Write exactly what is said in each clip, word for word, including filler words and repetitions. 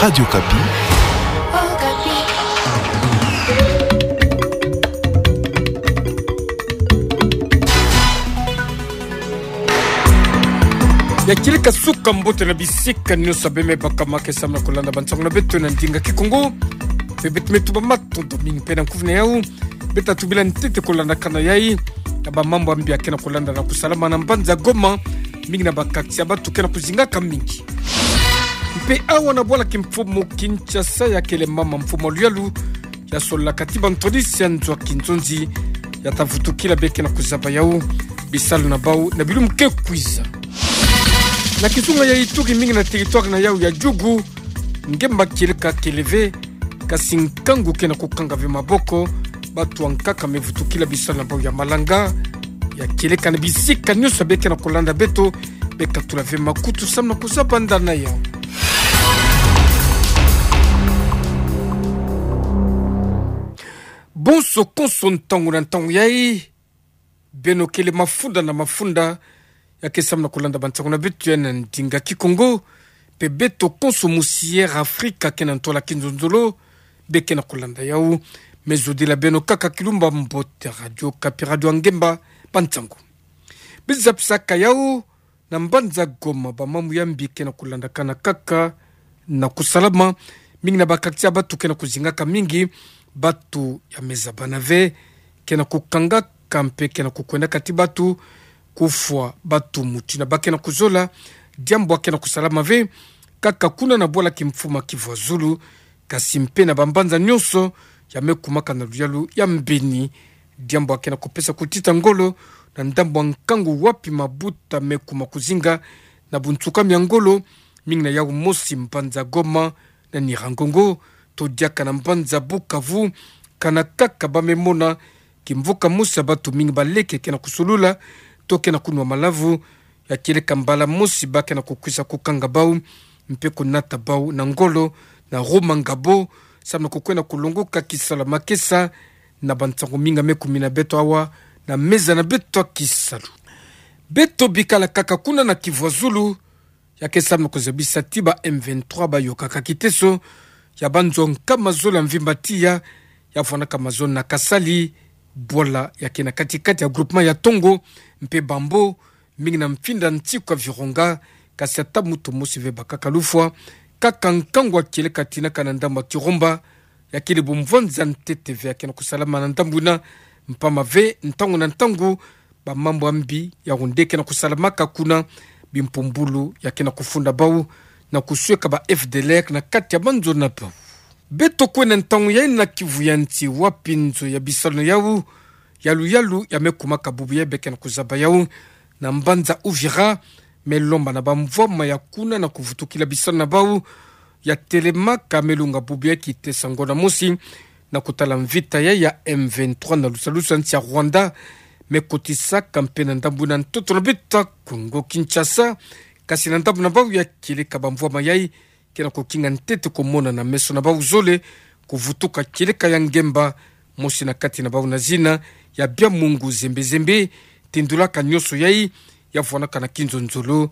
Radio Okapi. Ya kieleka suka mbote na bisika nyonso beme bakama ke samna kolanda bansango na beto na ndinga Kikongo. Pe beto me tuba matondo mingi pe na nkufi na yau. Beto tubila ntete kolandakana yai na bamambu ya mbi ya ke na kolanda na kusalama na mbanza Goma, mingi na ba quartier ya batu ke na kuzingaka mingi. Mpe awa na bwala kimfumu Kinshasa, ya kele mama mfumu wa luyalu ya sololaka ti bantwadisi ya nzo ya kinzonzi ya ta vutukila be ke na kuzaba yau bisalu na bau na bilumbu ke kwiza. Na kizunga ya Ituri, mingi na territoire na yau ya Djugu, ngemba kieleka kele ve, kasi nkangu ke na kukanga ve maboko. Batu ya nkaka me vutukila bisalu na bau ya malanga. Ya kieleka na bisika nyonso be ke na kolanda beto, be katula ve makutu samna kuzaba ndana yau. Bonso konso ntangu na ntangu yai, beno kele mafunda na mafunda ya ke samna kolanda bansango na beto ya na ndinga Kikongo, pe beto konso musi Air Afrika ke na ntwala kinzonzolo be ke na kolanda yau. Me zodila beno kaka kilumbu mbote. Radio Okapi, radio ya ngemba, bansango. Biza pisaka yau, na mbanza Goma, bamambu ya mbi ke na kolandakana kaka na kusalama, mingi na ba quartier ya batu ke na kuzingaka mingi. Batu ya me zabana ve ke na kukangaka mpe ke na kukwendaka ti batu, kufwa batu mutu na ba ke na kuzola. Diambu ya ke na kusalama ve kaka kuna na bwala kimfumu Kivu ya Zulu, kasi mpe na bambanza nyonso ya me kumaka na luyalu ya mbeni. Diambu ya ke na kupesa kutita ngolo na ndambu ya nkangu wapi mabuta me kuma kuzinga na bunsuka mia ngolo, mingi na yau mosi mbanza Goma na Nyiragongo, to diaka na mbanza Bukavu. Kana kaka ba me mona kimvuka mosi ya batu mingi, baleke ke na kusulula to ke na kunwa malavu. Ya kieleka mbala mosi ba ke na kukwisa kukanga bau mpe kunata bau na ngolo na Rumangabo, samna kukwenda kulongoka kisalu ya makesa na bansango mingi ya me kumina beto awa na meza na beto ya kisalu. Beto bikala kaka kuna na Kivu ya Zulu, ya ke samna kuzabisa ti ba M vingt-trois bayokaka kiteso ya banzo nkama zole ya mvimba tiya, ya fwanaka mazono na Kasali, bwala ya ke na kati-kati ya groupement ya Tongo mpe Bambo, mingi na mfinda nsiku ya Virunga, kasi ata moto mosi ve bakaka lufwa. Kaka nkangu ya kieleka tinaka na ndambu ya Kirumba, ya kele bumvwanza ntete ve ya ke na kusalama na ndambu yina, mpamba ve ntangu na ntangu bamambu ya mbi ya onde ke na kusalamaka kuna, bimpumbulu ya ke na kufunda bau na kusweka ba F D L R na kati ya banzo na bau. Beto kwenda ntangu yai na Kivu ya Nsi, wapi nzo ya bisalu na yau ya luyalu ya me kumaka bubu yai be ke na kuzaba yau na mbanza Uvira, me lomba na bamvwama ya kuna na kuvutukila bisalu na bau. Ya telemaka me lunga bubu yai kiteso ya ngonda mosi na kutala mvita yai ya M vingt-trois na lusalusu ya nsi ya Rwanda, me kotisaka mpe na ndambu na ntoto na beto ya Kongo Kinshasa. Kasi na ndambu na bau ya kieleka bamvwama yai ke na kukinga ntete kumona na meso na bau zole, kuvutuka kieleka ya ngemba mosi na kati na bau na zina ya Byamungu Zembe Zembe. Tindulaka nyonso yai, ya fwanaka na kinzonzolo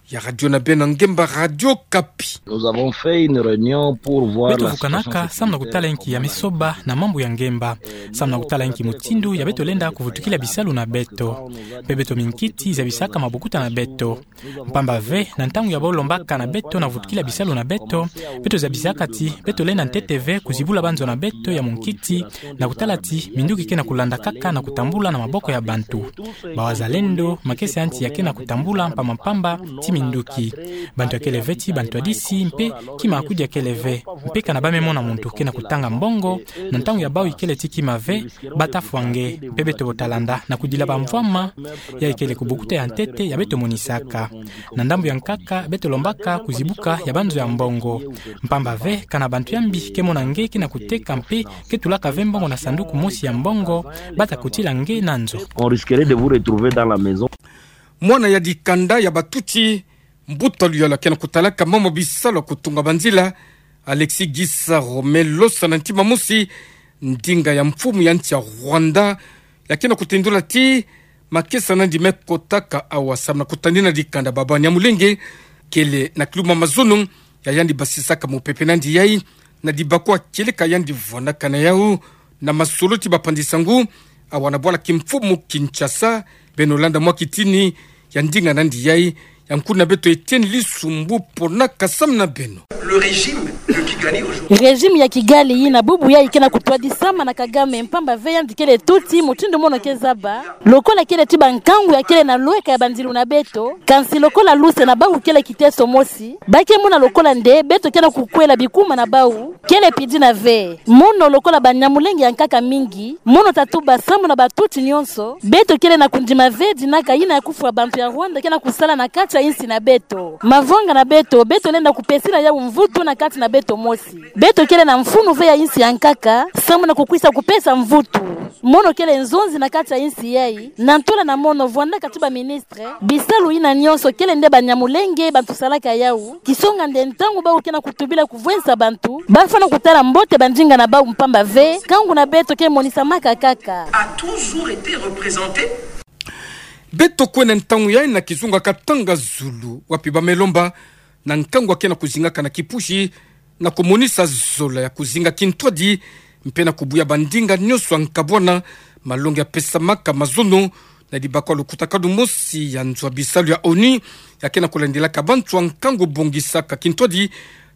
ya radio na beno ya ngemba, Radio Okapi. Nous avons fait une réunion pour voir la situation sécuritaire. Beto vukanaka samna kutala inki ya me soba na mambu ya ngemba, samna kutala inki mutindu ya beto lenda kuvutukila bisalu na beto. Mpe beto minkiti zabisaka mabokuta na beto. Mpamba ve, na ntangu ya bau lombaka na beto na kuvutukila bisalu na beto, beto zabisaka ti beto lenda ntete ve kuzibula banzo na beto ya munkiti, na kutala ti minduki ke na kulanda kaka na kutambula na maboko ya bantu. Bawazalendo, makesa ya nsi ya ke na kutambula mpamba mpamba ti minduki. Bantu ya kele ve ti bantwadisi, mpe kima ya kudi ya kele ve. Mpe kana ba me mona muntu ke na kutanga mbongo, na ntangu ya bau ikele ti kima ve, ba ta fwa nge. Mpe beto bo ta landa na kudila bamvwama, ya ikele kubokuta ya ntete ya beto monisaka. Na ndambu ya nkaka, beto lombaka kuzibuka ya banzo ya mbongo. Mpamba ve, kana bantu ya mbi ke mona nge ke na kuteka mpe ke tulaka ve mbongo na sanduku mosi ya mbongo, ba ta kutila nge na nzo. On risquerait de vous retrouver dans la maison. Mwana ya dikanda ya batutsi, mbuta luyalu ya ke na kutalaka mambu ya bisalu ya kutunga banzila, Alexis Gisaro, me losa na ntima mosi ndinga ya mfumu ya nsi ya Rwanda, ya ke na kutindula ti makesa nandi me kotaka awa samna kutani na dikanda Baba Nyamulenge, kele na kilumbu ya mazono ya yandi basisaka mopepe nandi yai, na dibakwa kieleka yandi vwanakana yau, na masolo ti bapandisa ngu, awa na bwala ki mfumu Kinshasa, beno landa mwa kitini, ya ndinga nandi yai, ya nkuna beto Etienne Lisumbu pona kasam na beno. Le régime de Kigali aujourd'hui. Régime ya Kigali yina bubu yai ke na kutwadisama na Kagame mpamba ve yandi kele tuti mutindu mono ke zaba. Lokola kele ti bankangu ya kele na lweka ya bandilu na beto, kansi lokola luse na bawu kele kiteso mosi, ba ke mona lokola nde beto ke na kukwela bikuma na bawu, kele pidi na ve. Mono lokola banyamulenge ya nkaka mingi, mono tatuba samu na batuti nyonso, beto kele na kundima ve dinaka yina ya kufwa bantu ya Rwanda ke na kusala na kati ya insi na beto. Mavanga na beto, beto lenda kupesila yau mvutu na kati na beto mosi. Beto kele na mfunu ve ya insi ya nkaka, samu na kukwisa kupesa mvutu. Mono kele nzonzi na kati ya insi yai, na ntola na mono vwandaka ti baministre, bisalu yina nyonso kele nde banyamulenge bantu salaka yau, kisonga nde ntangu bawu ke na kutubila kuvwensa bantu, bafwana kutala mbote bandinga na bawu mpamba ve, kangu na beto ke monisamaka kaka. A toujours été représenté. Beto kwenda ntangu yai na kizunga katanga zulu, wapi ba me lomba, na nkangu ya ke na kuzingaka na kipusi, na kumonisa zola ya kuzinga kintwadi, mpe na kubuya bandinga nyonso ya nkabwana, malongi ya pesamaka mazono, na dibakwa lukutakanu mosi ya nzo ya bisalu ya ONU, ya ke na kulandilaka bantu ya nkangu bongisaka kintwadi,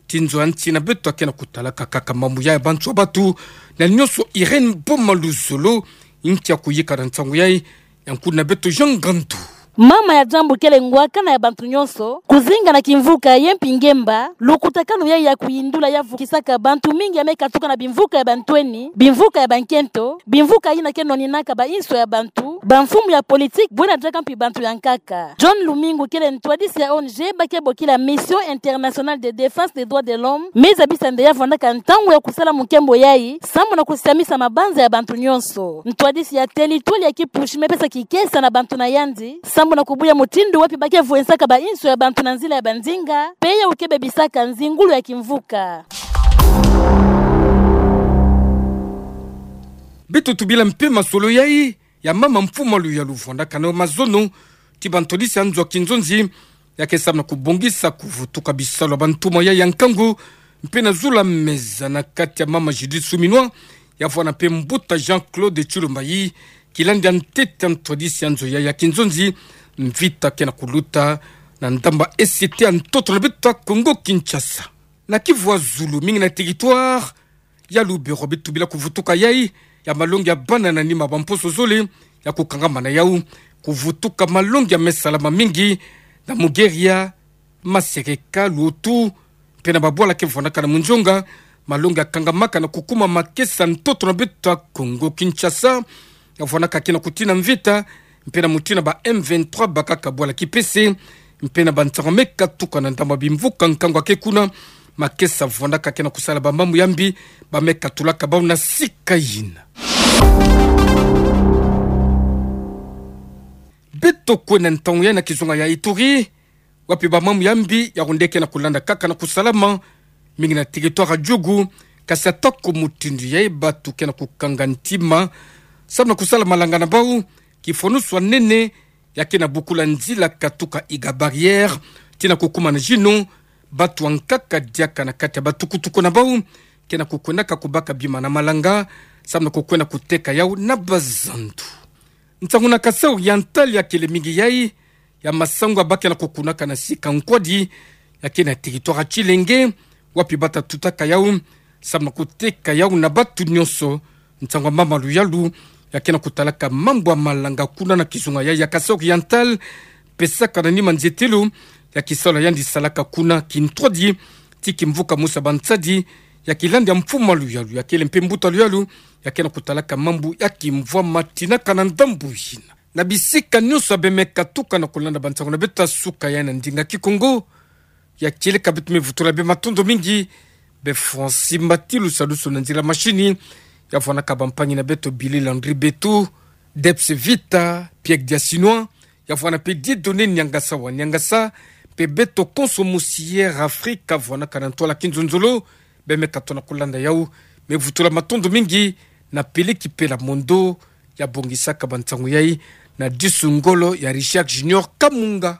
ti nzo ya nsi na beto ya ke na kutalaka kaka mambu ya bantu ya batu, na nyonso Irène Boma Luzolo, nki ya kuyika na ntangu yai, ya nkuna beto Jean Ngandu. Mama ya diambu kele ngwakana ya bantu nyonso, kuzinga na kimvuka ye mpi ngemba, lukutakanu yai ya kuyindula ya vukisaka bantu mingi ya me katuka na bimvuka ya bantweni, bimvuka ya bankento, bimvuka yina ke noninaka ba inso ya bantu, bamfumu ya politique, bwena diaka mpi bantu ya nkaka. John Lumingu kele ntwadisi ya ONG ba ke bokila Mission Internationale de Défense des Droits de l'Homme, me zabisa nde ya vwandaka ntangu ya kusala mukembo yai, samu na kusiamisa mabanza ya bantu nyonso. Ntwadisi ya territoire ya kipusi me pesa kikesa na bantu na yandi, samu na kubuya mutindu wapi ba ke vwensaka ba inso ya bantu na nzila ya bandinga, mpe yau ke bebisaka nzingulu ya kimvuka. Beto tubila mpe masolo yai, ya mama mfumu ya luyalu vwandakana yo mazono, ti bantwadisi ya nzo ya kinzonzi, ya ke samu na kubongisa kuvutuka bisalu ya bantuma yai ya nkangu, mpe na zula meza na kati ya mama Judith Suminwa, ya vwanda mpe mbuta Jean-Claude Tshilombo yai, kilandi ya ntete ya ntwadisi ya nzo yai ya kinzonzi, mvita ke na kuluta, na ndamba S T ya ntoto na beto ya Congo Kinshasa. Na kivu ya zulu mingi na territoire, ya Lubero beto tubila kuvutuka yai, ya malongi ya bana na nima bamposo zole, ya kukangamana yau, kuvutuka malongi ya me salama mingi, na Mugeria, Masereka, Luotu, mpe na babwala ke vwandakana munzonga, malongi ya kangamaka na kukuma makesa ntoto na beto ya Congo Kinshasa, ya vwandaka ke na kutina mvita, mpe na mutina ba M vingt-trois bakaka bwala kipese, mpe na bansango me katuka na ndamba bimvuka nkangu ya ke kuna, makesa vwandaka ke na kusala bamambu ya mbi, ba me katulaka bau na sika yina. Beto kwenda ntangu yai na kizunga ya Ituri, wapi bamambu ya mbi ya hunde ke na kulanda kaka na kusalama, mingi na territoire ya Djugu, kasi atako mutindu yai batu ke na kukanga ntima, samu na kusala malanga na bau, kifwanusu ya nene, ya ke na bukula nzila katuka Iga Barrière, tii na kukuma na Djino, batu ya nkaka diaka na kati ya batukutuku na bau, ke na kukwendaka kubaka bima na malanga, samu na kukwenda kuteka yau na bazandu. Nsangu na Kasaï Oriental ya kele mingi yai, ya masangu ya ba ke na kukunaka na sika nkwadi, ya ke na territoire ya Tshilenge, wapi bata tutaka yau, samu na kuteka yau na batu nyonso, nsangu ya mama luyalu, ya ke na kutalaka mambu ya malanga kuna na kizunga yai ya Kasaï Oriental, pesaka na nima nzietelo, ya kisalu ya yandi salaka kuna kintwadi, tii kimvuka mosi ya bansadi, ya kilandi ya mfumu ya luyalu, ya kele mpe mbuta luyalu, ya ke na kutalaka mambu ya kimvwama tinaka na ndambu yina. Na bisika nyonso ya be me katuka na kulanda bansangu na beto ya suka yai na ndinga Kikongo, ya kieleka beto me vutula be matondo mingi, be Francis Mbati Lusalusu na nzila machine, ya vwandaka bampangi na beto Billy Landry Betu, Debs Vita, Pierre Diasinois, ya vwanda mpe Dieudonné Niangasa wa Niangasa, mpe beto konso mosi Air Afrique, ya vwandaka na ntwala kinzonzolo, be me katono kulanda yau, me vutula matondo mingi, na Peleki Pela Mondo, ya bongisaka bansangu yai, na disu ngolo ya Richard Junior Kamunga.